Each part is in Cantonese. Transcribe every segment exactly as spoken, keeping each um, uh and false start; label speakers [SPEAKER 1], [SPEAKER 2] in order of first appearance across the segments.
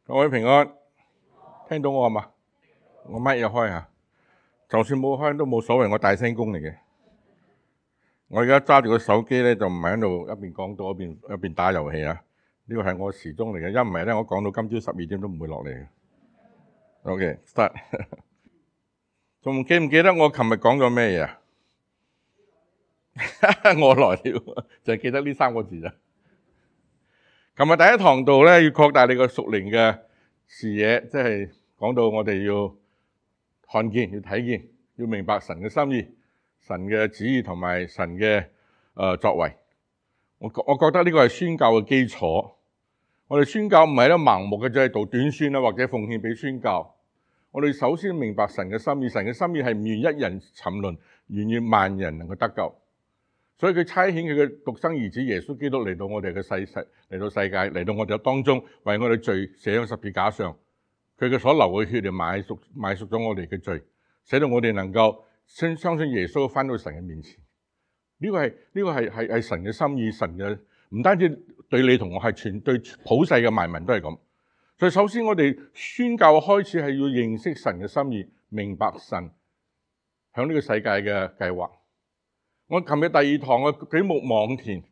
[SPEAKER 1] 各位平安，聽到我嘛？我乜嘢開啊？就算冇開都冇所謂，我大聲公嚟嘅。我而家揸住個手機咧，就唔係喺度一邊講到一邊一邊打遊戲啊！呢個係我時鐘嚟嘅，一唔係咧，我講到今朝十二點都唔會落嚟嘅。OK，start。仲記唔記得我琴日講咗咩嘢啊？我來了，就係記得呢三個字咋。琴日第一堂度咧，要擴大你個屬靈嘅視野，即係講到我哋要看見、要睇見、要明白神嘅心意、神嘅旨意同埋神嘅誒、呃、作為。我我覺得呢個係宣教嘅基礎。我哋宣教唔係咧盲目嘅，就係讀短宣啦，或者奉獻俾宣教。我哋首先明白神嘅心意，神嘅心意係唔願一人沉淪，願意萬人能夠得救。所以佢差遣佢嘅獨生兒子耶穌基督嚟到我哋嘅世世嚟到世界，嚟到我哋嘅當中，為我哋罪寫喺十字架上。佢嘅所流嘅血就買贖買贖咗我哋嘅罪，使到我哋能夠相相信耶穌返到神嘅面前。呢個係呢個係係係神嘅心意，神嘅唔單止對你同我，係全對普世嘅萬民都係咁。所以首先我哋宣教嘅開始係要認識神嘅心意，明白神響呢個世界嘅計劃。我琴日第二堂嘅舉目望田，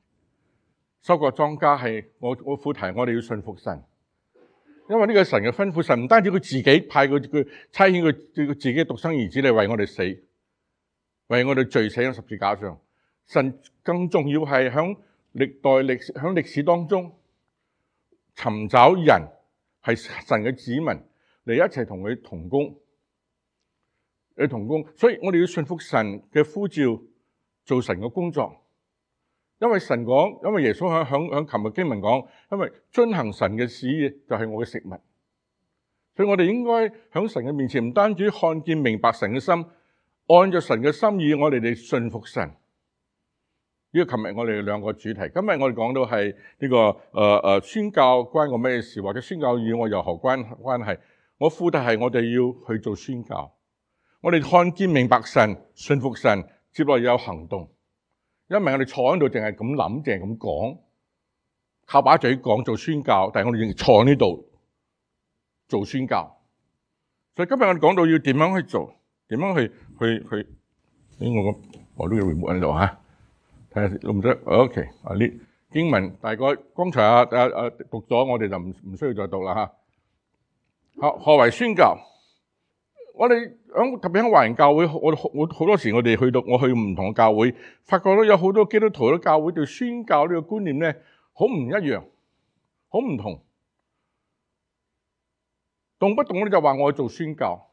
[SPEAKER 1] 收割莊稼係我我副題，我哋要信服神，因為呢個神嘅吩咐，神唔單止佢自己派佢佢差遣佢佢自己獨生兒子嚟為我哋死，為我哋罪死喺十字架上。神更重要係響歷代歷史響歷史當中尋找人係神嘅子民嚟一齊同佢同工，嚟同工。所以我哋要信服神嘅呼召。做神嘅工作，因為神講，因為耶穌響響響琴日經文講，因為遵行神嘅旨意就係我嘅食物，所以我哋應該響神嘅面前，唔單止看見明白神嘅心，按照神嘅心意，我哋嚟信服神。呢個琴日我哋兩個主題，今日我哋講到係呢、這個誒誒、呃、宣教關我咩事，或者宣教與我有何關關係？我副題係我哋要去做宣教，我哋看見明白神，信服神。接落有行動，因為我哋坐喺度淨係咁諗，淨係咁講，靠把嘴講做宣教，但係我哋仍然坐喺呢度做宣教。所以今日我哋講到要點樣去做，點樣去去去，誒我個我都要 remove 喺度嚇，睇下用唔得 OK 啊呢經文大概剛才啊啊啊讀咗，我哋就唔唔需要再讀啦嚇。何何為宣教？我哋響特別喺華人教會，我我好多時我哋去到我去唔同嘅教會，發覺到有好多基督徒嘅教會對宣教呢個觀念咧，好唔一樣，好唔同。動不動咧就話我要做宣教，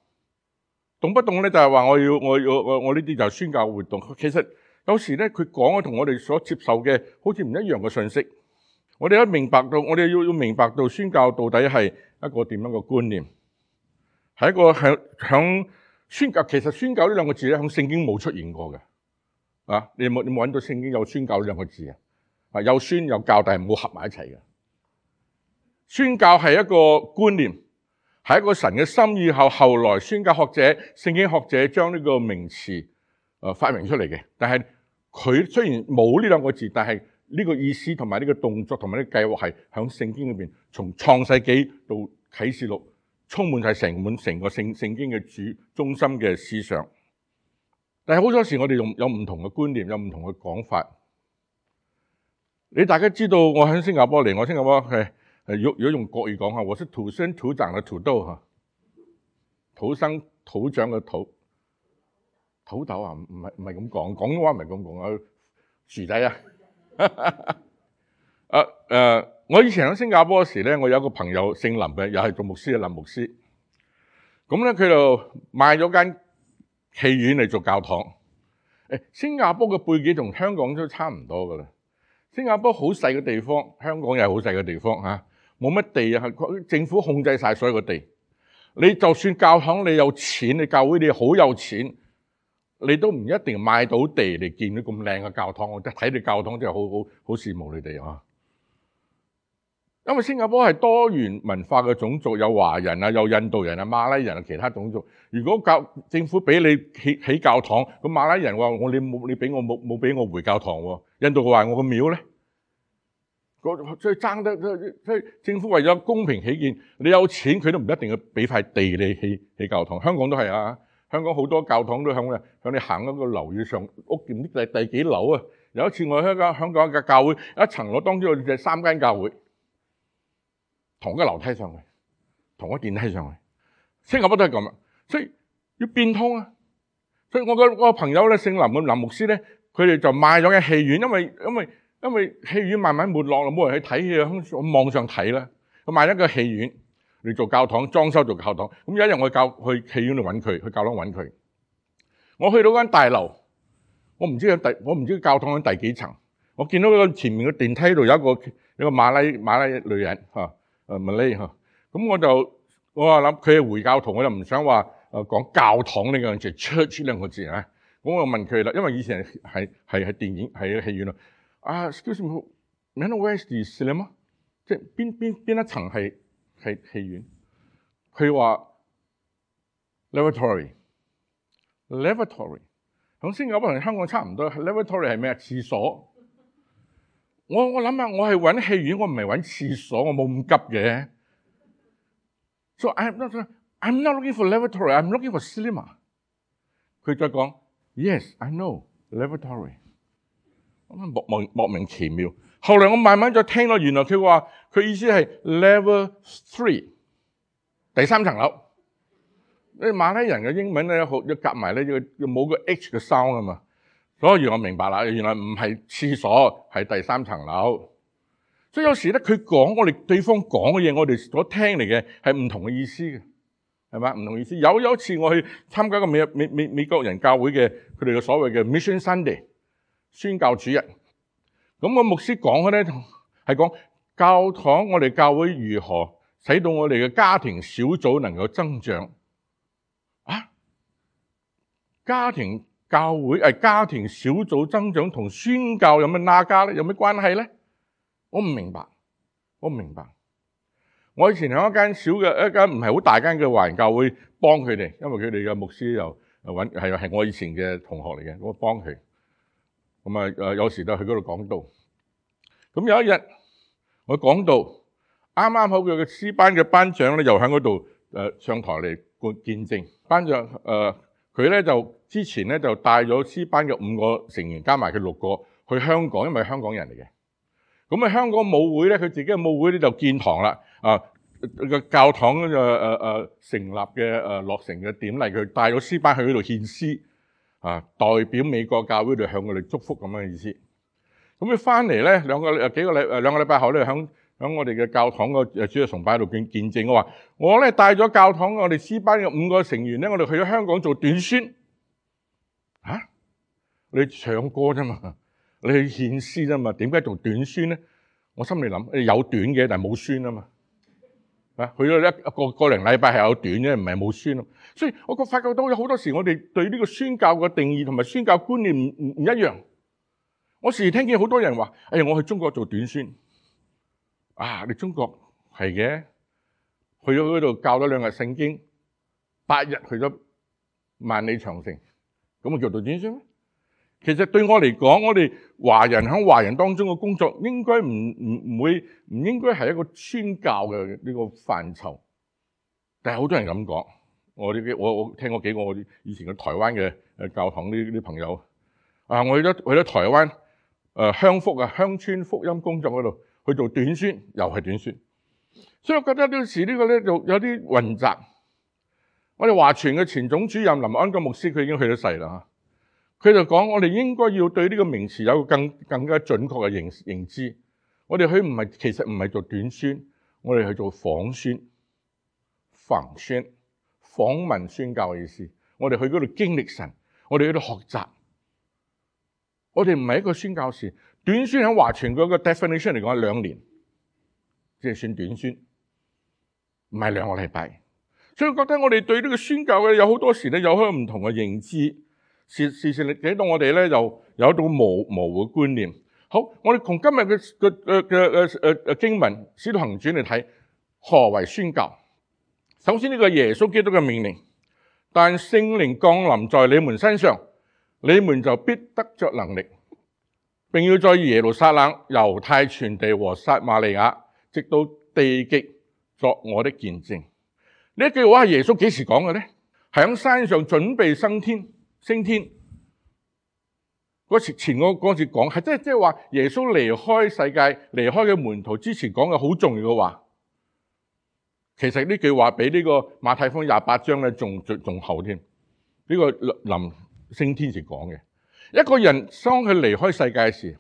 [SPEAKER 1] 動不動咧就係話我要我要我我呢啲就係宣教活動。其實有時咧佢講嘅同我哋所接受嘅好似唔一樣嘅信息。我哋一明白到，我哋要要明白到宣教到底係一個點樣嘅觀念。係一個響響宣教，其實宣教呢兩個字咧，響聖經冇出現過嘅。啊，你冇你冇揾到聖經有宣教呢兩個字啊？啊，有宣有教，但係唔好合埋一齊嘅。宣教係一個觀念，係一個神嘅心意後，後來宣教學者、聖經學者將呢個名詞誒發明出嚟嘅。但係佢雖然冇呢兩個字，但係呢個意思同埋呢個動作同埋呢個計劃係響聖經裏邊，從創世紀到啟示錄。充滿晒成滿成個聖聖經嘅主中心嘅思想，但係好多時我哋用有唔同嘅觀念，有唔同嘅講法。你大家知道我喺新加坡嚟，我新加坡係係如果如果用國語講下，我是土生土長嘅土豆嚇，土生土長嘅土土豆啊，唔係唔係咁講，廣東話唔係咁講啊，薯仔啊，啊誒。我以前喺新加坡嗰時咧，我有一個朋友姓林嘅，又係做牧師嘅林牧師。咁咧佢就買咗間戲院嚟做教堂。誒，新加坡嘅背景同香港都差唔多噶啦。新加坡好細嘅地方，香港又係好細嘅地方嚇，冇乜地啊，政府控制晒所有嘅地。你就算教堂你有錢，你教會你好有錢，你都唔一定買到地嚟建啲咁靚嘅教堂。我睇你教堂真係好好好羨慕你哋啊！因為新加坡係多元文化嘅種族，有華人啊，有印度人啊，馬拉人啊，其他種族。如果教政府俾你起起教堂，咁馬拉人話我你冇你俾我冇冇俾我回教堂喎？印度話我個廟咧，所以爭得，所以政府為咗公平起見，你有錢佢都唔一定要俾塊地你起起教堂。香港都係啊，香港好多教堂都響響你行嗰個樓宇上，屋唔知第第幾樓啊？有一次我喺香香港嘅教會，一層樓當中有隻三間教會，同一個樓梯上去，同一個電梯上去，新加坡都係咁啊，所以要變通啊。所以我個個朋友咧，姓林嘅林牧師咧，佢哋就買咗間戲院，因為因為因為戲院慢慢沒落啦，冇人去睇戲，喺網上睇啦。佢買咗個戲院嚟做教堂，裝修做教堂。咁有一日我教去戲院度揾佢，去教堂揾佢。我去到間大樓，我唔知喺第我唔知教堂喺第幾層。我見到個前面嘅電梯度有一個有一個馬拉馬拉女人嚇，誒馬拉嚇。咁我就我話諗佢係回教徒，我就唔想話。誒講教堂呢個字 church 兩個字啊，咁我問佢啦，因為以前係係係電影係戲院咯。啊 ，excuse me，may I know where is the cinema？ 即係邊邊邊一層係係戲院？佢話 lavatory，lavatory 響新加坡同香港差唔多。lavatory 係咩啊？廁所。我我諗下，我係揾戲院，我唔係揾廁所，我冇咁急嘅。So I'm not I'm not looking for lavatory. I'm looking for cinema. 佢再講 ，Yes, I know lavatory。莫莫莫名其妙。後來我慢慢再聽到，原來佢話佢意思係 level three， 第三層樓。你馬來人嘅英文咧，好要夾埋咧，要要冇個 H 嘅 sound 啊嘛。所以我明白啦，原來唔係廁所，係第三層樓。所以有時咧，佢講我哋對方講嘅嘢，我哋所聽嚟嘅係唔同嘅意思嘅。係嘛？唔同意思。有有一次我去參加個美美美美國人教會嘅佢哋嘅所謂嘅 Mission Sunday 宣教主日。咁個牧師講嘅咧係講教堂，我哋教會如何使到我哋嘅家庭小組能夠增長啊？家庭教會誒家庭小組增長同宣教有咩拉加咧？有咩關係咧？我唔明白，我唔明白。我以前喺一間小嘅一間唔係好大間嘅華人教會幫佢哋，因為佢哋嘅牧師又揾係係我以前嘅同學嚟嘅，我幫佢。咁啊誒有時都去嗰度講道。咁有一日我講道，啱啱好佢嘅詩班嘅班長咧又喺嗰度誒上台嚟見證。班長誒佢咧就之前咧就帶咗詩班嘅五個成員加埋佢六個去香港，因為係香港人嚟嘅。咁啊香港舞會咧，佢自己嘅舞會咧就建堂啦。啊個教堂嘅誒誒成立嘅誒、呃、落成嘅典禮，佢帶咗詩班去嗰度獻詩，啊代表美國教會度向佢哋祝福咁嘅意思。咁佢翻嚟咧兩個誒幾個禮誒兩個禮拜後咧，響響我哋嘅教堂個誒主日崇拜度見見證，我話我咧帶咗教堂我哋詩班嘅五個成員咧，我哋去咗香港做短宣。嚇、啊？你唱歌啫嘛，你去獻詩啫嘛，點解做短宣咧？我心裏諗誒有短嘅，但係冇宣啊嘛。啊，去咗一個個零禮拜係有短嘅，唔係冇宣咯。所以我覺發覺到有好多時，我哋對呢個宣教嘅定義同埋宣教觀念唔唔唔一樣。我時時聽見好多人話：哎呀，我去中國做短宣。啊，你中國係嘅，去咗嗰度教咗兩日聖經，八日去咗萬里長城，咁咪叫做短宣咩？其實對我嚟講，我哋華人喺華人當中嘅工作應該唔唔唔會唔應該係一個宣教嘅呢個範疇，但係好多人咁講。我啲我我聽過幾個我以前嘅台灣嘅誒教堂啲啲朋友啊，我去咗去咗台灣誒、呃、鄉福啊鄉村福音工作嗰度去做短宣，又係短宣，所以我覺得呢時呢個咧就有啲混雜。我哋華傳嘅前總主任林安國牧師佢已經去咗世啦。佢就講：我哋應該要對呢個名詞有個更更加準確嘅認認知。我哋去唔係其實唔係做短宣，我哋去做訪宣、訪宣、訪問宣教嘅意思。我哋去嗰度經歷神，我哋喺度學習。我哋唔係一個宣教士。短宣喺華傳嗰個 definition 嚟講係兩年，即係算短宣，唔係兩個禮拜。所以我覺得我哋對呢個宣教嘅有好多時咧有好多唔同嘅認知。事事實嚟到我哋咧，就有一種模模糊嘅觀念。好，我哋從今日嘅嘅嘅嘅誒誒經文《使徒行傳》嚟睇，何為宣教？首先呢個耶穌基督嘅命令，但聖靈降臨在你們身上，你們就必得着能力。並要在耶路撒冷、猶太全地和撒瑪利亞，直到地極作我的見證。呢一句話係耶穌幾時講嘅咧？係喺山上準備升天、升天嗰時前嗰嗰節講，係即係即係話耶穌離開世界、離開嘅門徒之前講嘅好重要嘅話。其實呢句話比呢個馬太福音廿八章咧仲仲後添。呢個臨升天時講嘅。一個人當佢離開世界時，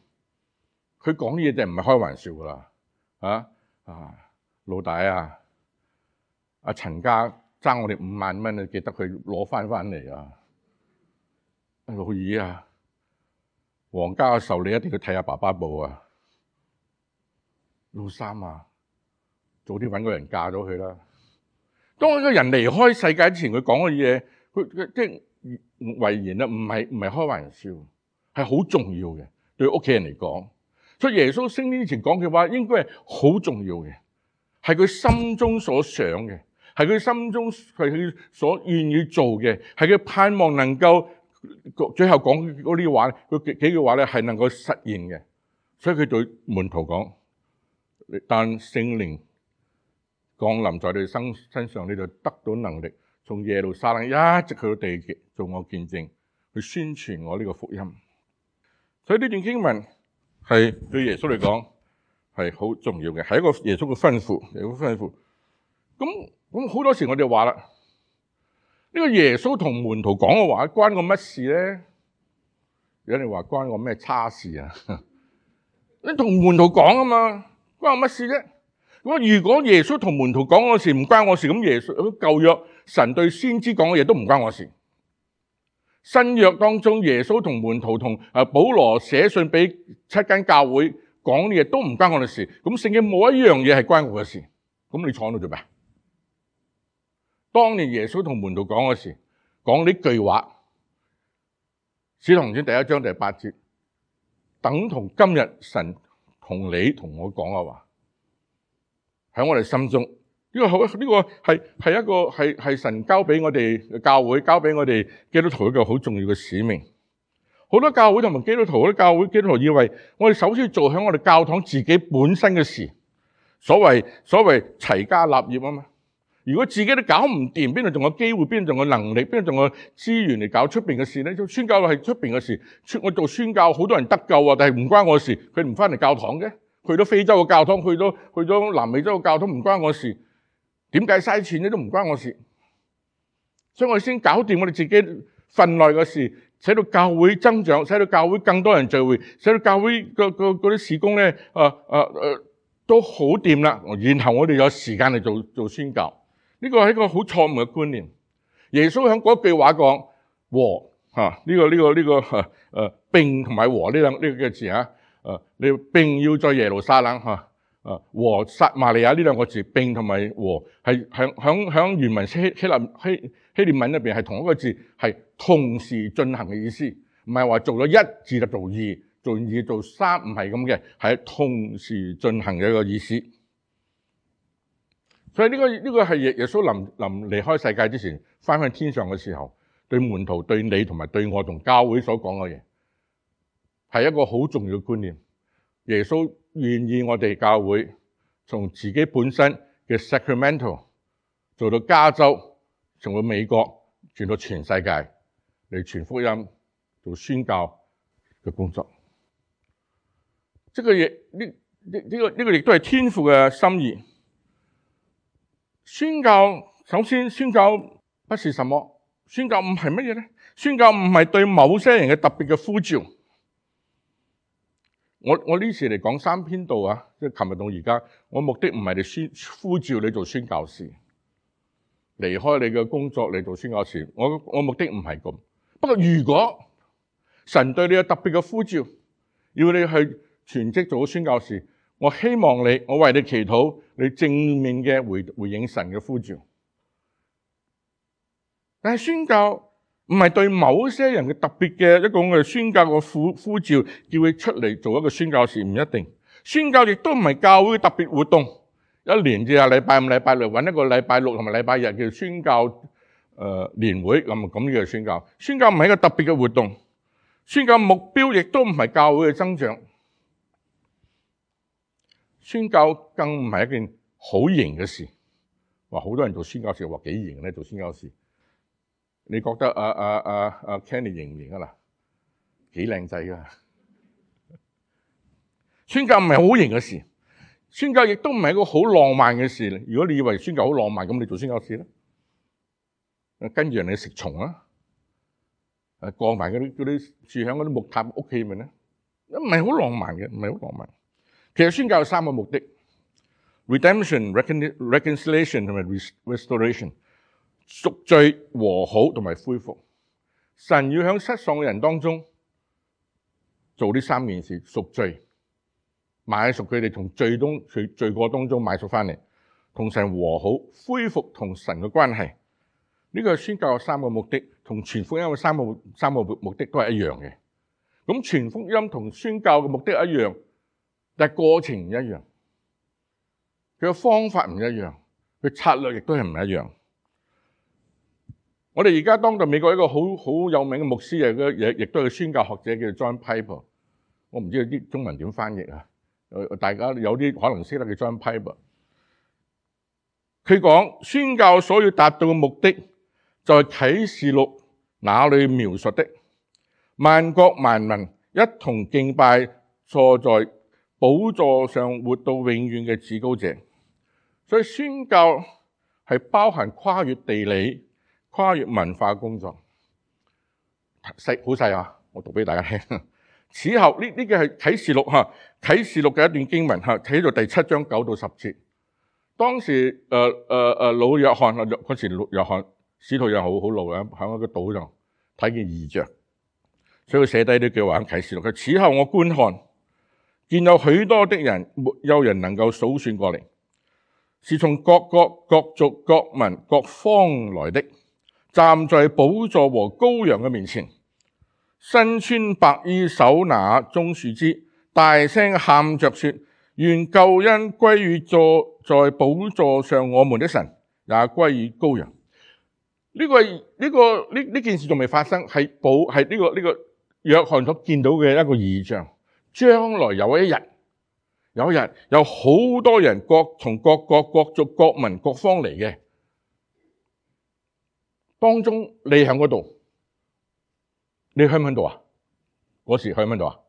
[SPEAKER 1] 佢講嘢就唔係開玩笑噶啦。啊啊，老大啊，阿陳家爭我哋五萬蚊，你記得佢攞翻翻嚟啊！老二啊，黃家嘅壽你一定要睇下爸爸報啊！老三啊，早啲揾個人嫁咗佢啦。當一個人離開世界之前，佢講嘅嘢，佢即係遺言啦，唔係唔係開玩笑，係好重要嘅，對屋企人嚟講。所以耶穌升天之前講嘅話，應該係好重要嘅，係佢心中所想嘅，係佢心中係佢所願意做嘅，係佢盼望能夠最後講嗰啲話，佢幾幾句話咧係能夠實現嘅。所以佢對門徒講：但聖靈降臨在你身身上，你就得到能力，從耶路撒冷一直去到地極，做我見證，去宣傳我呢個福音。所以呢段經文係對耶穌嚟講係好重要嘅，係一個耶穌嘅吩咐，耶穌吩咐。咁咁好多時我哋話啦，呢個耶穌同門徒講嘅話，關我乜事咧？有人話關我咩差事啊？你同門徒講啊嘛，關我乜事啫？咁如果耶穌同門徒講嘅事唔關我事，咁耶穌舊約神對先知講嘅嘢都唔關我事。新約當中耶穌同門徒同啊保羅寫信俾七間教會講嘅嘢都唔關我哋事。咁聖經冇一樣嘢係關我嘅事。咁你坐喺度做咩？當年耶穌同門徒講嘅事，講呢句話，使徒行傳第一章第八節，等同今日神同你同我講嘅話。喺我哋心中，呢個好，呢個係係一個係係神交俾我哋嘅教會，交俾我哋基督徒一個好重要嘅使命。好多教會同埋基督徒，好多教會基督徒以為我哋首先要做響我哋教堂自己本身嘅事，所謂所謂齊家立業啊嘛。如果自己都搞唔掂，邊度仲有機會？邊度仲有能力？邊度仲有資源嚟搞出邊嘅事咧？宣教係出邊嘅事，我做宣教好多人得救啊，但係唔關我事，佢唔翻嚟教堂嘅。去到非洲嘅教堂，去到去咗南美洲嘅教堂，唔關我事。點解嘥錢咧？都唔關我事。所以我哋先搞掂我哋自己份內嘅事，使到教會增長，使到教會更多人聚會，使到教會個個嗰啲事工咧，啊啊啊都好掂啦。然後我哋有時間嚟做做宣教。呢個係一個好錯誤嘅觀念。耶穌喺嗰句話講和嚇呢個呢個呢個誒誒並同埋和呢兩呢個字啊。誒，你並要在耶路撒冷嚇，誒和撒瑪利亞呢兩個字並同埋和係響響響原文希希臘希希臘文入邊係同一個字，係同時進行嘅意思，唔係話做咗一字就做二，做二做三，唔係咁嘅，係同時進行嘅一個意思。所以呢個呢個係耶耶穌臨臨離開世界之前，翻去天上嘅時候，對門徒、對你同埋對我同教會所講嘅嘢。係一個好重要嘅觀念。耶穌願意我哋教會從自己本身嘅 Sacramento 做到加州，從到美國，傳到全世界嚟傳福音、做宣教嘅工作。即係嘢呢呢呢個呢個亦都係天父嘅心意。宣教首先宣教不是什麼，宣教唔係乜嘢咧？宣教唔係對某些人嘅特別嘅呼召。我我呢次嚟講三篇道啊，即係琴日到而家，我目的唔係嚟宣呼召你做宣教士，離開你嘅工作嚟做宣教士。我我目的唔係咁。不過如果神對你有特別嘅呼召，要你去全職做宣教士，我希望你，我為你祈禱，你正面嘅回回應神嘅呼召。但係宣教唔係對某些人嘅特別嘅一個嘅宣教嘅呼呼召，叫佢出嚟做一個宣教士，唔一定。宣教亦都唔係教會嘅特別活動，一年至下禮拜五、禮拜六揾一個禮拜六同埋禮拜日叫宣教誒年會咁咁呢個宣教。宣教唔係一個特別嘅活動，宣教目標亦都唔係教會嘅增長，宣教更唔係一件好型嘅事。話好多人做宣教士，話幾型咧？做宣教士，你覺得阿阿阿阿 Kenny 型唔型啊？嗱，幾靚仔噶！宣教唔係好型嘅事，宣教亦都唔係一個好浪漫嘅事。如果你以為宣教好浪漫，咁你做宣教士咧？跟住人哋食蟲啊！誒，過埋嗰啲嗰啲住喺嗰啲木塔屋企咪咧？唔係好浪漫嘅，唔係好浪漫。其實宣教有三個目的。Redemption、reconciliation 同埋 restoration， 贖罪、和好同埋恢復。神要喺失喪嘅人當中做呢三件事：贖罪，買贖佢哋從罪中罪罪過當中買贖翻嚟，同神和好，恢復同神嘅關係。呢個係宣教嘅三個目的，同傳福音嘅三個三個目的都係一樣嘅。咁傳福音同宣教嘅目的一樣，但係過程唔一樣。佢嘅方法唔一樣，佢策略亦都係唔一樣。我哋而家當代美國一個好好有名嘅牧師，亦亦都係宣教學者，叫做 John Piper。我唔知啲中文點翻譯啊？大家有啲可能識得叫 John Piper。佢講宣教所要達到嘅目的，就係啟示錄那裏描述的，萬國萬民一同敬拜坐在寶座上活到永遠嘅至高者。所以宣教係包含跨越地理、跨越文化工作。細好細啊！我讀俾大家聽。此後呢呢個係啟示錄嚇，啟示錄嘅一段經文嚇，睇到第七章九到十節。當時誒誒誒老約翰啊，嗰時老約翰使徒又好好老嘅，喺一個島度睇見異象，所以佢寫低呢句話喺啟示錄。佢此後我觀看，見有許多的人，沒有人能夠數算過嚟。是從各國、各族、各民、各方來的，站在寶座和羔羊嘅面前，身穿白衣，手拿棕樹枝，大聲喊着說：願救恩歸於坐在寶座上我們的神，也歸於羔羊。呢、這個呢、這個呢呢件事仲未發生，係寶係呢個呢、這個約翰所見到嘅一個異象，將來有一日。有一日有好多人各從各國各族各民各方嚟嘅，當中你喺嗰度，你喺唔喺度啊？嗰時喺唔喺度啊？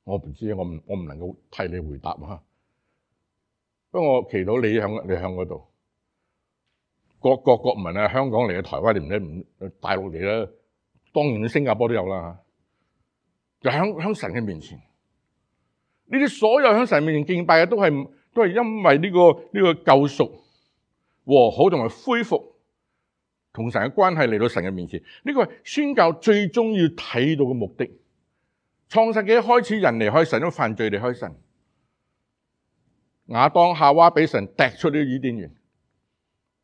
[SPEAKER 1] 我唔知，我唔我唔能夠替你回答啊。不過我祈禱你喺你喺嗰度，各國各民啊，香港嚟嘅、台灣嚟唔唔大陸嚟啦，當然新加坡都有啦。就喺喺神嘅面前。呢啲所有喺神面前敬拜嘅，都係都係因為呢個呢個救贖、和好同埋恢復同神嘅關係嚟到神嘅面前。呢個係宣教最終要睇到嘅目的。創世紀一開始，人離開神都犯罪離開神。亞當夏娃俾神踢出呢個伊甸園，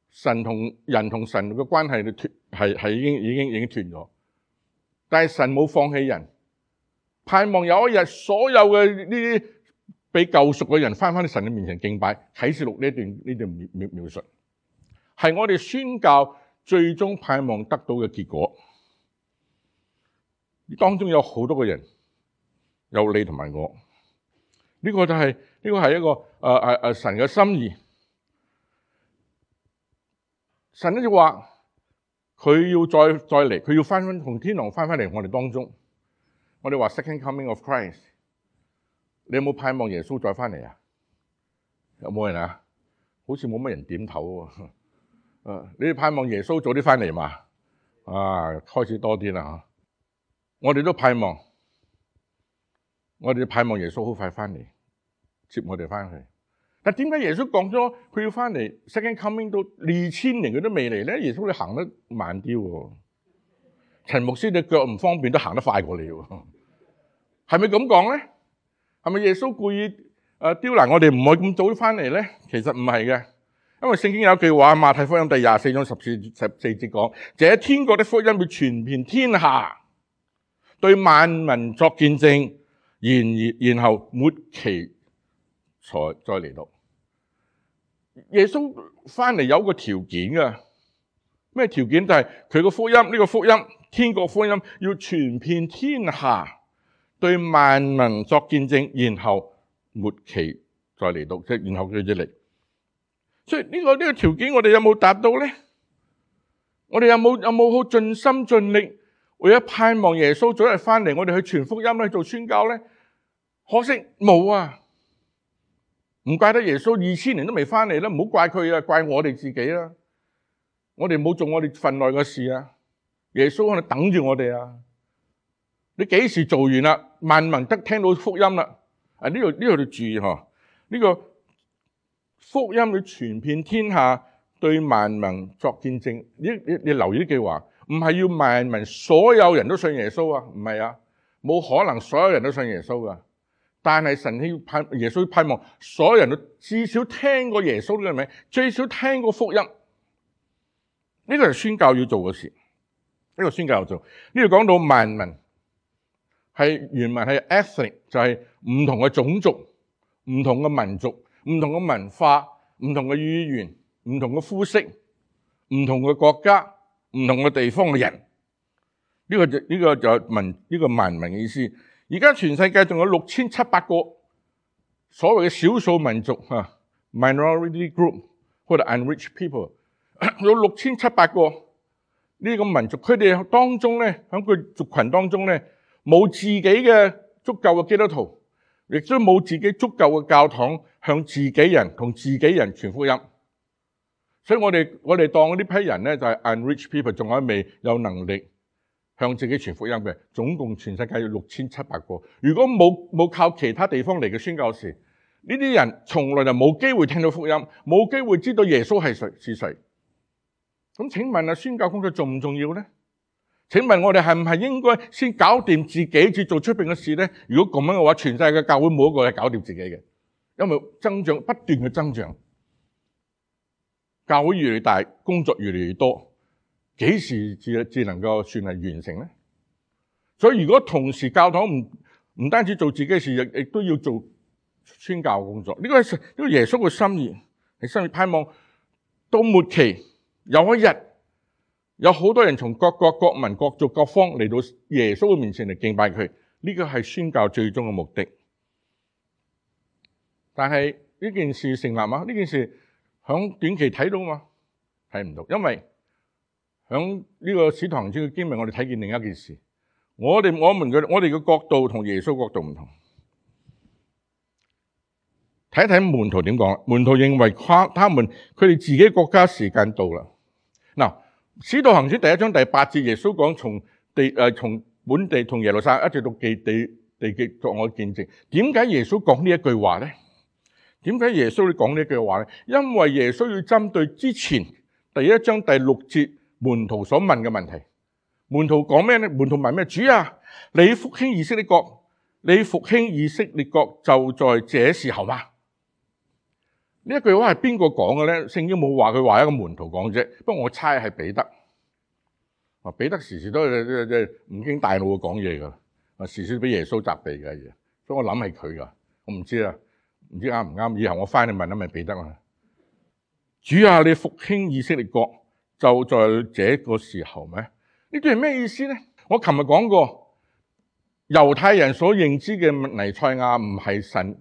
[SPEAKER 1] 神同人同神嘅關係脫係係已經已經已經斷咗。但係神冇放棄人。盼望有一日，所有嘅呢啲被救贖嘅人翻返去神嘅面前敬拜。啟示錄呢段呢段描描描述，係我哋宣教最終盼望得到嘅結果。當中有好多個人，有你同埋我。呢、這個就係、是、呢、這個係一個誒誒誒神嘅心意。神咧就話佢要再再嚟，佢要翻翻從天堂翻返嚟我哋當中。我哋話 Second Coming of Christ， 你有冇盼望耶穌再翻嚟啊？有冇人啊？好似冇乜人點頭喎。啊，你哋盼望耶穌早啲翻嚟嘛？啊，開始多啲啦。我哋都盼望，我哋盼望耶穌好快翻嚟接我哋翻去。但點解耶穌講咗佢要翻嚟 Second Coming 到二千年佢都未嚟咧？耶穌你行得慢啲喎。陳牧師你腳唔方便都行得快過你喎。係咪咁講咧？係咪耶穌故意誒刁難我哋唔可以咁早翻嚟咧？其實唔係嘅，因為聖經有一句話，馬太福音第廿四章十四十四節講：這天國的福音要傳遍天下，對萬民作見證，然而然後末期才再嚟到。耶穌翻嚟有個條件噶，咩條件？就係佢個福音呢、這個福音。天國福音要傳遍天下，對萬民作見證，然後末期再嚟到，即係然後佢就嚟。所以呢個呢個條件，我哋有冇達到咧？我哋有冇有冇好盡心盡力為咗盼望耶穌早日翻嚟，我哋去傳福音咧，做宣教咧？可惜冇啊！唔怪得耶穌二千年都未翻嚟啦，唔好怪佢啊，怪我哋自己啦。我哋冇做我哋份內嘅事啊！耶穌喺度等住我哋啊！你幾時做完啦？萬民得聽到福音啦！啊，呢度呢度要注意嗬，呢個福音要傳遍天下，對萬民作見證。你你你留意呢句話，唔係要萬民所有人都信耶穌啊，唔係啊，冇可能所有人都信耶穌噶。但係神希盼耶穌盼望所有人都至少聽過耶穌呢個名，最少聽過福音。呢個係宣教要做嘅事，呢個宣教要做。呢度講到萬民，係原文係 ethnic，就係唔同嘅種族、唔同嘅民族、唔同嘅文化、唔同嘅語言、唔同嘅膚色、唔同嘅國家、唔同嘅地方嘅人。呢個就呢個就係民呢個萬民嘅意思。而家全世界仲有六千七百個所謂嘅少數民族啊 ，minority group 或者 unreached people， 有六千七百個呢個民族，佢哋當中咧，喺佢族群當中咧，冇自己嘅足夠嘅基督徒，亦都冇自己足夠嘅教堂向自己人同自己人傳福音。所以我哋我哋當呢批人咧就係 unreached people， 仲係未有能力向自己傳福音嘅，總共全世界有六千七百個。如果冇冇靠其他地方嚟嘅宣教士，呢啲人從來就冇機會聽到福音，冇機會知道耶穌係誰是誰。咁請問啊，宣教工作重唔重要咧？請問我哋係唔係應該先搞掂自己，至做出邊嘅事咧？如果咁樣嘅話，全世界嘅教會冇一個係搞掂自己嘅，因為增長不斷嘅增長，教會越嚟越大，工作越嚟越多。幾時至至能夠算係完成咧？所以如果同時教堂唔唔單止做自己嘅事，亦亦都要做宣教工作。呢個係呢個耶穌嘅心意，係心意盼望到末期有一日有好多人從各國各民各族各方嚟到耶穌嘅面前嚟敬拜佢。呢個係宣教最終嘅目的。但係呢件事成立嗎？呢件事響短期睇到嘛？睇唔到，因為喺呢個使徒行傳嘅經文，我哋睇見另一件事。我哋我們嘅我哋嘅角度同耶穌角度唔同。睇一睇門徒點講。門徒認為他他們佢哋自己國家時間到啦。嗱，使徒行傳第一章第八節，耶穌講從地誒從本地同耶路撒冷一直到地地地極作我見證。點解耶穌講呢一句話咧？點解耶穌要講呢一句話咧？因為耶穌要針對之前第一章第六節。門徒所問嘅問題，門徒講咩咧？門徒問咩？主啊，你復興以色列國，你復興以色列國就在這時候嗎？呢一句話係邊個講嘅咧？聖經冇話佢話一個門徒講啫，不過我猜係彼得。啊，彼得時時都係即係唔經大腦嘅講嘢噶，啊時時俾耶穌責備嘅嘢，所以我諗係佢噶，我唔知啊，唔知啱唔啱？以後我翻去問一問彼得啊。主啊，你復興以色列國。就在這個時候咩？呢句係咩意思咧？我琴日講過，猶太人所認知嘅彌賽亞唔係神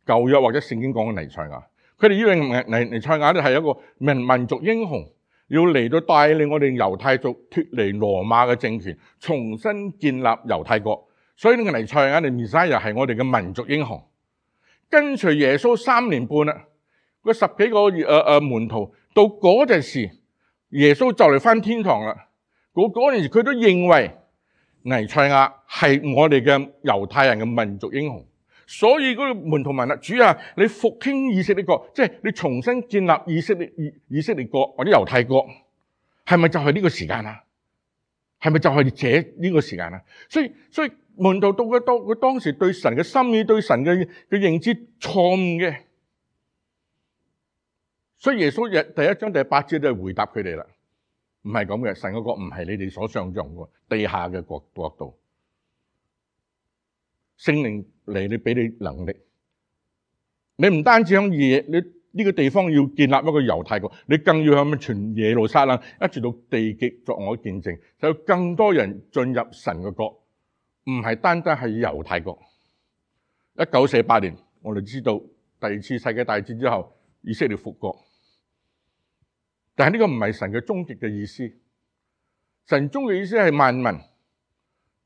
[SPEAKER 1] 舊約或者聖經講嘅彌賽亞，佢哋以為彌彌彌賽亞咧係一個民民族英雄，要嚟到帶領我哋猶太族脫離羅馬嘅政權，重新建立猶太國。所以呢個彌賽亞嘅彌賽亞係我哋嘅民族英雄。跟隨耶穌三年半啦，嗰十幾個誒誒、呃、門徒到嗰陣時。耶穌就嚟返天堂啦！嗰嗰陣時佢都認為彌賽亞係我哋嘅猶太人嘅民族英雄，所以嗰個門徒問啦：主啊，你復興以色列國，即係你重新建立以色列以以色列國或者猶太國，係咪就係呢個時間啊？係咪就係這呢個時間啊？所以所以門徒到佢當佢當時對神嘅心意、對神嘅嘅認知錯誤嘅。所以耶穌第一章第八節就係回答佢哋啦，唔係咁嘅，神嘅國唔係你哋所想象嘅地下嘅國國度，聖靈嚟你俾你能力，你唔單止響夜，你呢個地方要建立一個猶太國，你更要向全耶路撒冷一直到地極作我見證，就有更多人進入神嘅國，唔係單單係猶太國。一九四八年，我哋知道第二次世界大戰之後，以色列復國，但係呢個唔係神嘅終極嘅意思。神終極意思係萬民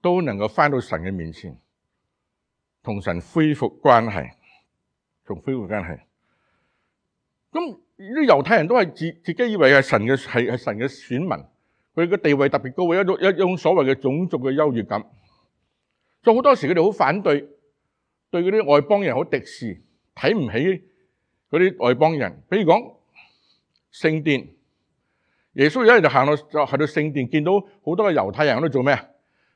[SPEAKER 1] 都能夠返到神嘅面前，同神恢復關係，同恢復關係。咁啲猶太人都係自自己以為係神嘅係係神嘅選民，佢嘅地位特別高，一種一種所謂嘅種族嘅優越感。所以好多時佢哋好反對，對嗰啲外邦人好敵視，睇唔起嗰啲外邦人。比如講聖殿，耶穌有一日就行到就去到聖殿，見到好多嘅猶太人喺度做咩啊？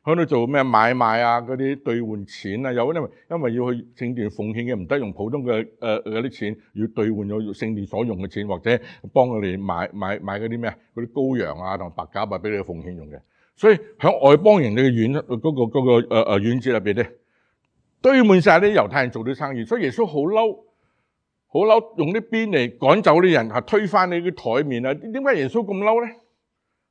[SPEAKER 1] 喺度做咩買賣啊？嗰啲兌換錢啊，有因為因為要去聖殿奉獻嘅，唔得用普通嘅誒嗰啲錢，要兌換咗聖殿所用嘅錢，或者幫佢哋買買買嗰啲咩啊？嗰啲羔羊啊同白鴿啊，俾你哋奉獻用嘅。所以喺外邦人嘅院嗰個嗰個誒誒院子入邊咧，堆滿晒啲猶太人做啲生意。所以耶穌好嬲，好嬲，用啲鞭嚟趕走啲人，係推翻你啲台面啊！點解耶穌咁嬲咧？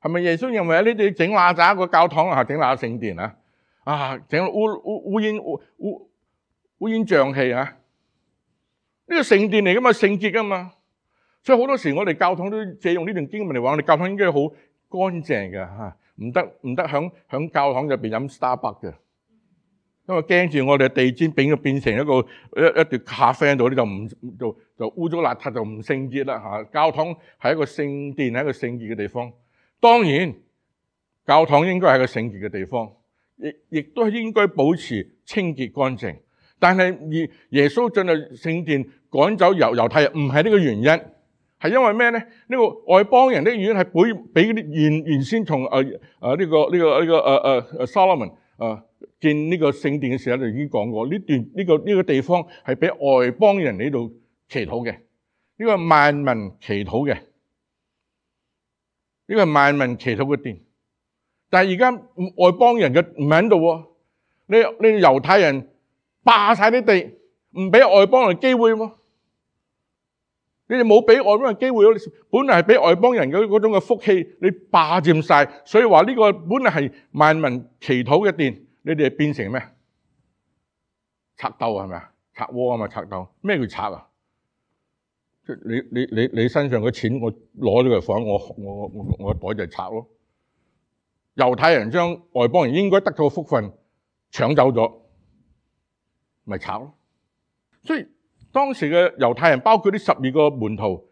[SPEAKER 1] 係咪耶穌認為你哋整邋遢個教堂啊，整邋遢聖殿啊，啊整烏烏烏煙烏烏烏煙瘴氣啊？呢個聖殿嚟噶嘛，聖潔噶嘛，所以好多時我哋教堂都借用呢段經文嚟話，我哋教堂應該好乾淨嘅吓，唔得唔得響響教堂入邊飲 Starbucks 嘅，因為驚住我哋嘅地氈變變成一個一一碟咖啡喺度咧，就唔就就污糟邋遢，就唔聖潔啦吓。教堂係一個聖殿，係一個聖潔嘅地方。當然，教堂應該係個聖潔嘅地方，亦亦都應該保持清潔乾淨。但係耶耶穌進入聖殿趕走猶猶太人，唔係呢個原因，係因為咩咧？呢、這個外邦人的院係比比啲原原先從誒誒呢個呢、這個呢、這個誒誒誒 Solomon 誒建呢個聖殿嘅時候就已經講過，呢段呢、這個呢、這個地方係俾外邦人喺度祈禱嘅，呢、這個係萬民祈禱嘅。呢個係萬民祈禱嘅殿，但係而家外邦人嘅唔喺度喎，你你猶太人霸晒啲地，唔俾外邦人機會喎，你哋冇俾外邦人機會咯，本來係俾外邦人嘅嗰種嘅福氣，你霸佔晒，所以話呢個本來係萬民祈禱嘅殿，你哋變成咩？賊竇係咪啊？賊窩啊嘛，賊竇，咩叫賊啊？你你你你身上嘅錢，我攞咗佢放我我我我袋就係賊咯。猶太人將外邦人應該得到嘅福分搶走咗，咪賊咯。所以當時嘅猶太人，包括啲十二個門徒，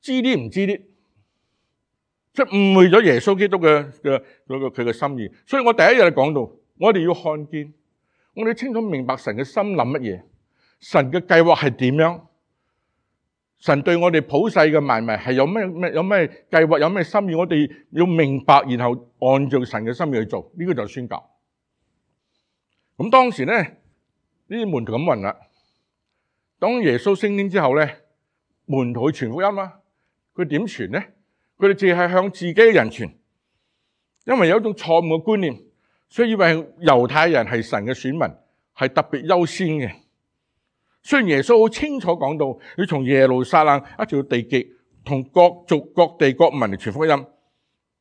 [SPEAKER 1] 知啲唔知啲，即係誤會咗耶穌基督嘅嘅嗰個佢嘅心意。所以我第一日就講到，我哋要看見，我哋清楚明白神嘅心諗乜嘢，神嘅計劃係點樣。神對我哋普世嘅萬民係有咩咩有咩計劃，有咩心意，我哋要明白，然後按照神嘅心意去做，呢、這個就係宣教。咁當時咧，呢啲門徒咁問啦：當耶穌升天之後咧，門徒去傳福音啊，佢點傳咧？佢哋淨係向自己嘅人傳，因為有一種錯誤嘅觀念，所以以為猶太人係神嘅選民，係特別優先嘅。雖然耶穌好清楚講到，要從耶路撒冷一直到地極，同各族各地各民嚟傳福音，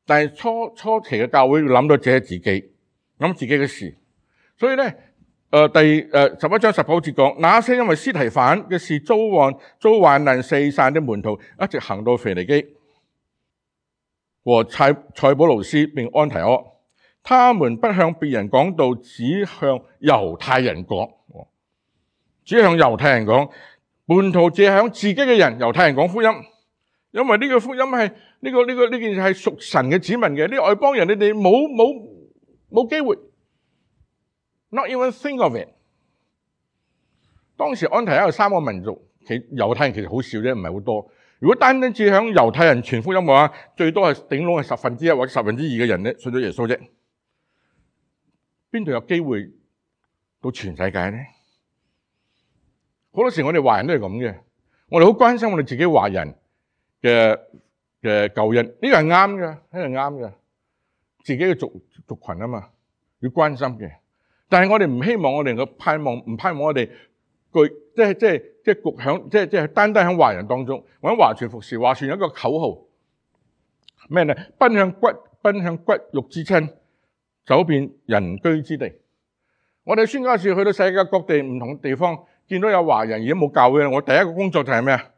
[SPEAKER 1] 但係初初期嘅教會要諗到只係自己，諗自己嘅事。所以咧，誒、呃、第誒十一章十九節講，那些因為司提反嘅事遭患遭患難四散的門徒，一直行到腓尼基和塞塞浦路斯並安提阿，他們不向別人講道，只向猶太人講。只向猶太人講，門徒只向自己嘅人猶太人講福音，因為呢個福音係呢、這個呢、這個呢件事係屬神嘅子民嘅，呢外邦人你哋冇冇冇機會 ，not even think of it。當時安提阿有三個民族，其猶太人其實好少啫，唔係好多。如果單單只向猶太人傳福音嘅話，最多係頂籠係十分之一或者十分之二嘅人咧信咗耶穌啫。邊度有機會到全世界咧？好多時我哋華人都係咁嘅，我哋好關心我哋自己華人嘅嘅救恩，呢個係啱嘅，呢個係啱嘅，自己嘅族族群啊嘛，要關心嘅。但係我哋唔希望我哋嘅盼望，唔盼望我哋具即係即係即係局響即係即係單單喺華人當中，或者華傳服侍，華傳有一個口號咩咧？奔向骨奔向骨肉之親，走遍人居之地。我哋宣教士去到世界各地唔同地方，見到有華人而家冇教會，我第一個工作就係咩啊？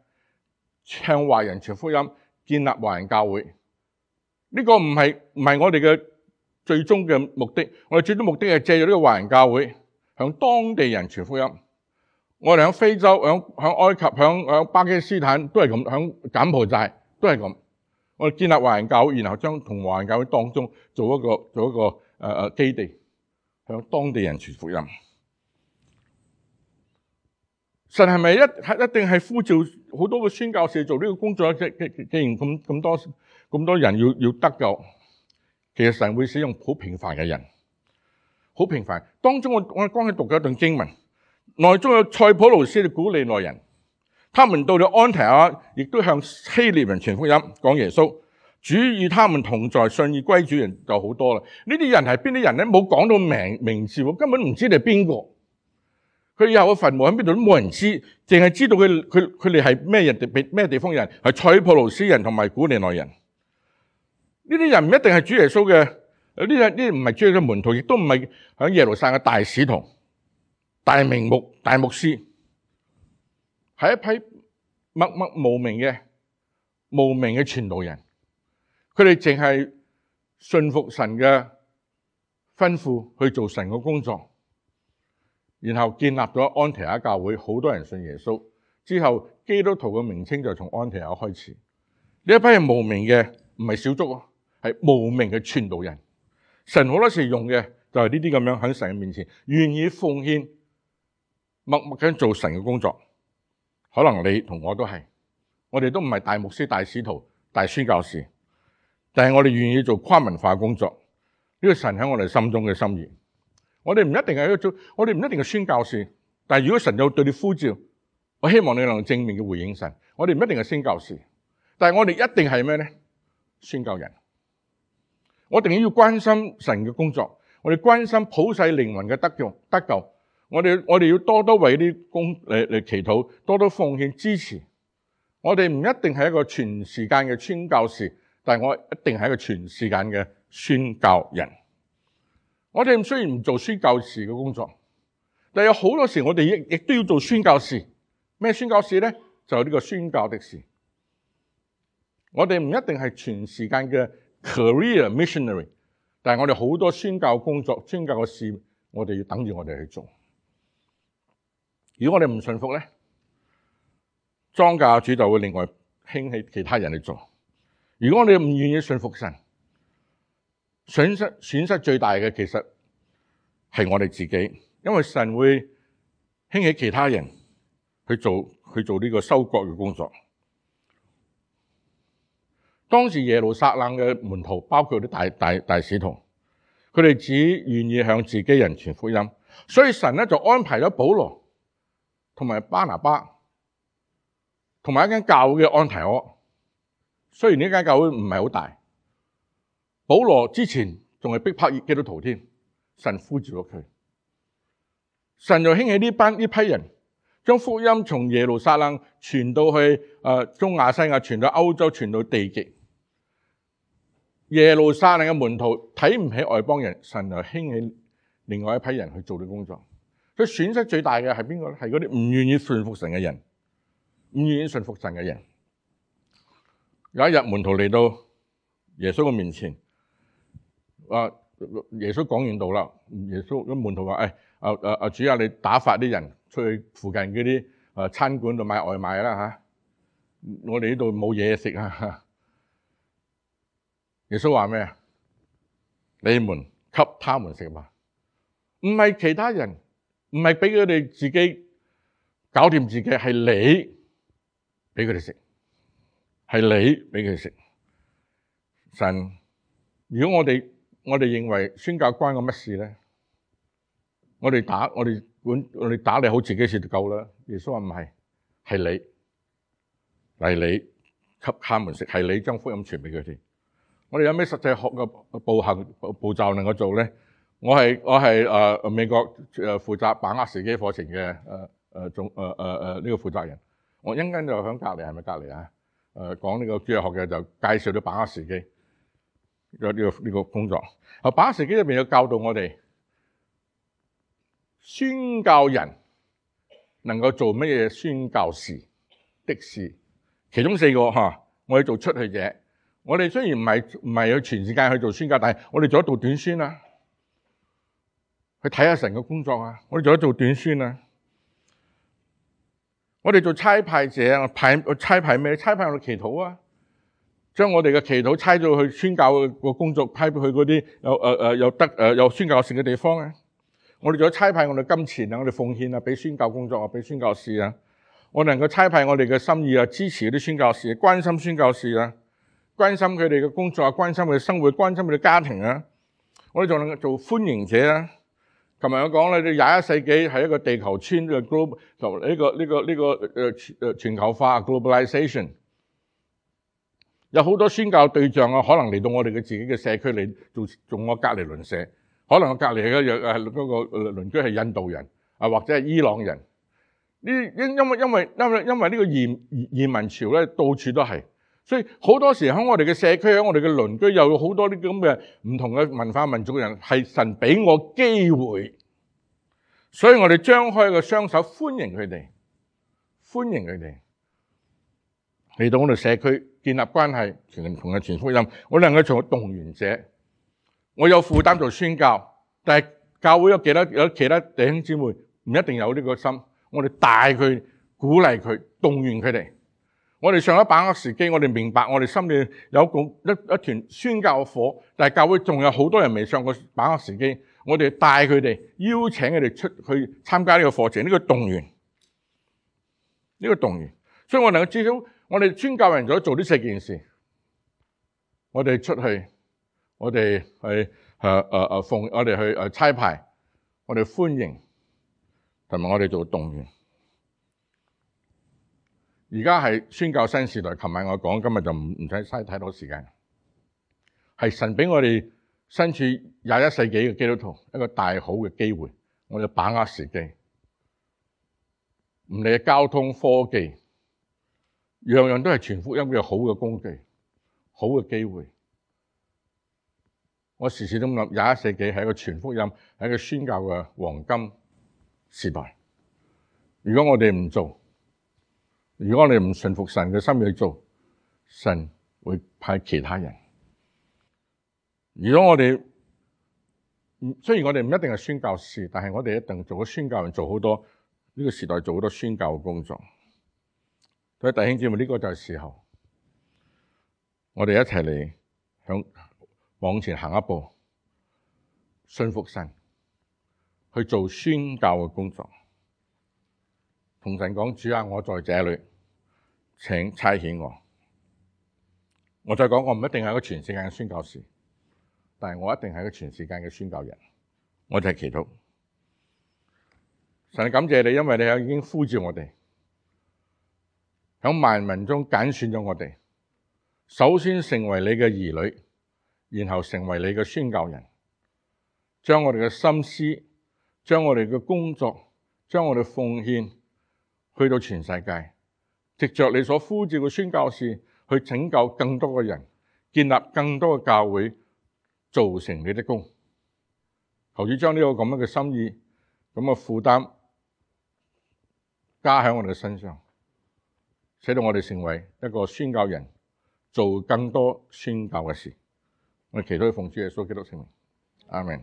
[SPEAKER 1] 向華人傳福音，建立華人教會。呢、這個唔係唔係我哋嘅最終嘅目的，我哋最終目的係借咗呢個華人教會，向當地人傳福音。我哋喺非洲、喺喺埃及、喺喺巴基斯坦都係咁，喺柬埔寨都係咁。我哋建立華人教會，然後將同華人教會當中做一個做一個誒誒、呃、基地。向當地人傳福音，神係咪一係一定係呼召好多個宣教士做呢個工作？即既既然咁咁多咁多人要要得救，其實神會使用好平凡嘅人，好平凡。當中我我剛才讀咗一段經文，內中有塞浦路斯嘅古利奈人，他們到了安提阿，亦都向希臘人傳福音，講耶穌。主與他們同在，信而歸主人就好多啦。呢啲人係邊啲人咧？冇講到名名字，根本唔知你係邊個。佢以後嘅墳墓喺邊度都冇人知，淨係知道佢佢佢哋係咩人地咩地方人，係塞浦路斯人同埋古利奈人。呢啲人唔一定係主耶穌嘅，呢啲呢啲唔係主耶穌嘅門徒，亦都唔係喺耶路撒冷嘅大使徒、大名牧、大牧師，係一批默默無名嘅無名嘅傳道人。佢哋淨係信服神嘅吩咐去做神嘅工作，然後建立咗安提阿教會，好多人信耶穌。之後基督徒嘅名稱就從安提阿開始。呢一批係無名嘅，唔係小眾，係無名嘅傳道人。神好多時用嘅就係呢啲咁樣喺神嘅面前願意奉獻，默默咁做神嘅工作。可能你同我都係，我哋都唔係大牧師、大使徒、大宣教士。但係我哋願意做跨文化工作，呢個神喺我哋心中嘅心意。我哋唔一定係一個做，我哋唔一定係宣教士。但係如果神有對你呼召，我希望你能正面嘅回應神。我哋唔一定係宣教士，但係我哋一定係咩咧？宣教人。我一定要關心神嘅工作，我哋關心普世靈魂嘅得救得救。我哋我哋要多多為啲工嚟嚟祈禱，多多奉獻支持。我哋唔一定係一個全時間嘅宣教士。但係我一定係一個全時間嘅宣教人。我哋雖然唔做宣教士嘅工作，但係有好多時我哋亦亦都要做宣教士。咩宣教士咧？就係呢個宣教的士。我哋唔一定係全時間嘅 career missionary， 但係我哋好多宣教工作、宣教嘅事，我哋要等住我哋去做。如果我哋唔順服咧，莊稼主就會另外興起其他人去做。如果我哋唔願意信服神，損失損失最大嘅其實係我哋自己，因為神會興起其他人去做去做呢個收割嘅工作。當時耶路撒冷嘅門徒，包括啲大大大使徒，佢哋只願意向自己人傳福音，所以神咧就安排咗保羅同埋巴拿巴同埋一間教會嘅安提阿。雖然呢間教會唔係好大，保羅之前仲係逼迫基督徒添，神呼召咗佢，神就興起呢班呢批人，將福音從耶路撒冷傳到去誒、呃、中亞西亞，傳到歐洲，傳到地極。耶路撒冷嘅門徒睇唔起外邦人，神就興起另外一批人去做啲工作。所以損失最大嘅係邊個咧？係嗰啲唔願意順服神嘅人，唔願意順服神嘅人。有一日門徒嚟到耶穌嘅面前，啊，耶穌講完道啦，耶穌咁門徒話：誒、哎，啊啊啊主啊，你打發啲人出去附近嗰啲誒餐館度買外賣啦吓，我哋呢度冇嘢食啊！耶穌話咩啊？你們給他們食嘛，唔係其他人，唔係俾佢哋自己搞掂自己，係你俾佢哋食。係你俾佢食。神，如果我哋我哋認為宣教關我乜事咧？我哋打我哋管我哋打理好自己事就夠啦。耶穌話唔係，係你，係你給他們食，係你將福音傳俾佢哋。我哋有咩實際學嘅步行步驟能夠做咧？我係我係誒、呃、美國誒負責把握時機課程嘅誒誒總誒誒誒呢個負責人。我一陣間就響隔離，係咪隔離啊？誒講呢個主日學嘅就介紹咗把握時機有呢個呢個工作。啊，把握時機入邊有教導我哋宣教人能夠做乜嘢宣教士的事，其中四個嚇，我哋做出去者。我哋雖然唔係唔係去全世界去做宣教，但係我哋做一道短宣啊，去睇下神嘅工作啊，我哋做一做短宣啊。我哋做差派者啊，派差派咩？差派我哋祈禱啊，將我哋嘅祈禱差咗去宣教個工作，派去嗰啲有誒誒有得誒有宣教士嘅地方啊。我哋做差派我哋金錢啊，我哋奉獻啊，俾宣教工作啊，俾宣教士啊。我能夠差派我哋嘅心意啊，支持嗰啲宣教士，關心宣教士啊，關心佢哋嘅工作啊，關心佢哋生活，關心佢哋家庭啊。我哋仲能夠做歡迎者啊。琴日我講咧，廿一世紀係一個地球村嘅 global 就呢個呢個呢個誒誒全球化 globalization， 有好多宣教對象啊，可能嚟到我哋嘅自己嘅社區嚟做做我隔離鄰舍，可能我隔離嘅誒嗰個鄰居係印度人啊，或者係伊朗人。呢因因為因為因為因為呢個移移民潮咧，到處都係，所以好多時喺我哋嘅社區，喺我哋嘅鄰居，又有好多啲咁嘅唔同嘅文化民族嘅人，係神俾我機會，所以我哋張開個雙手歡迎佢哋，歡迎佢哋嚟到我哋社區建立關係，傳同嘅傳福音。我能夠做動員者，我有負擔做宣教，但係教會有幾多有其他弟兄姊妹唔一定有呢個心。我哋帶佢、鼓勵佢、動員佢哋。我哋上一把握時機，我哋明白我哋心裏有一個一一團宣教嘅火，但係教會仲有好多人未上過把握時機。我哋帶佢哋，邀請佢哋出去參加呢個課程，呢個動員，呢個動員。所以我能夠至少，我哋宣教人咗做呢四件事。我哋出去，我哋去誒誒誒奉，我哋去誒差派，我哋歡迎。同埋我哋做動員，而家係宣教新時代。琴晚我講，今日就唔唔使嘥太多時間。係神俾我哋身處廿一世紀嘅基督徒一個大好嘅機會，我哋把握時機。唔理係交通科技，樣樣都係傳福音嘅好嘅工具，好嘅機會。我時時都諗，廿一世紀係一個傳福音，係一個宣教嘅黃金時代。如果我哋唔做，如果我哋唔順服神嘅心意去做，神會派其他人。如果我哋雖然我哋唔一定係宣教士，但係我哋一定做咗宣教人，做好多呢個時代做好多宣教嘅工作。所以弟兄姊妹，呢個就係時候，我哋一齊嚟向往前行一步，順服神。去做宣教嘅工作，同神講：主啊，我在這裏，請差遣我。我再講，我唔一定係一個全世界嘅宣教士，但係我一定係一個全世界嘅宣教人。我就係祈禱，神感謝你，因為你有已經呼召我哋，喺萬民中揀選咗我哋，首先成為你嘅兒女，然後成為你嘅宣教人，將我哋嘅心思。將我哋嘅工作，將我哋奉獻去到全世界，藉着你所呼召嘅宣教士去拯救更多嘅人，建立更多嘅教會，造成你的功。求主將呢個咁樣嘅心意、咁嘅負擔加喺我哋嘅身上，使到我哋成為一個宣教人，做更多宣教嘅事。我哋祈禱奉主耶穌基督聖名，阿們。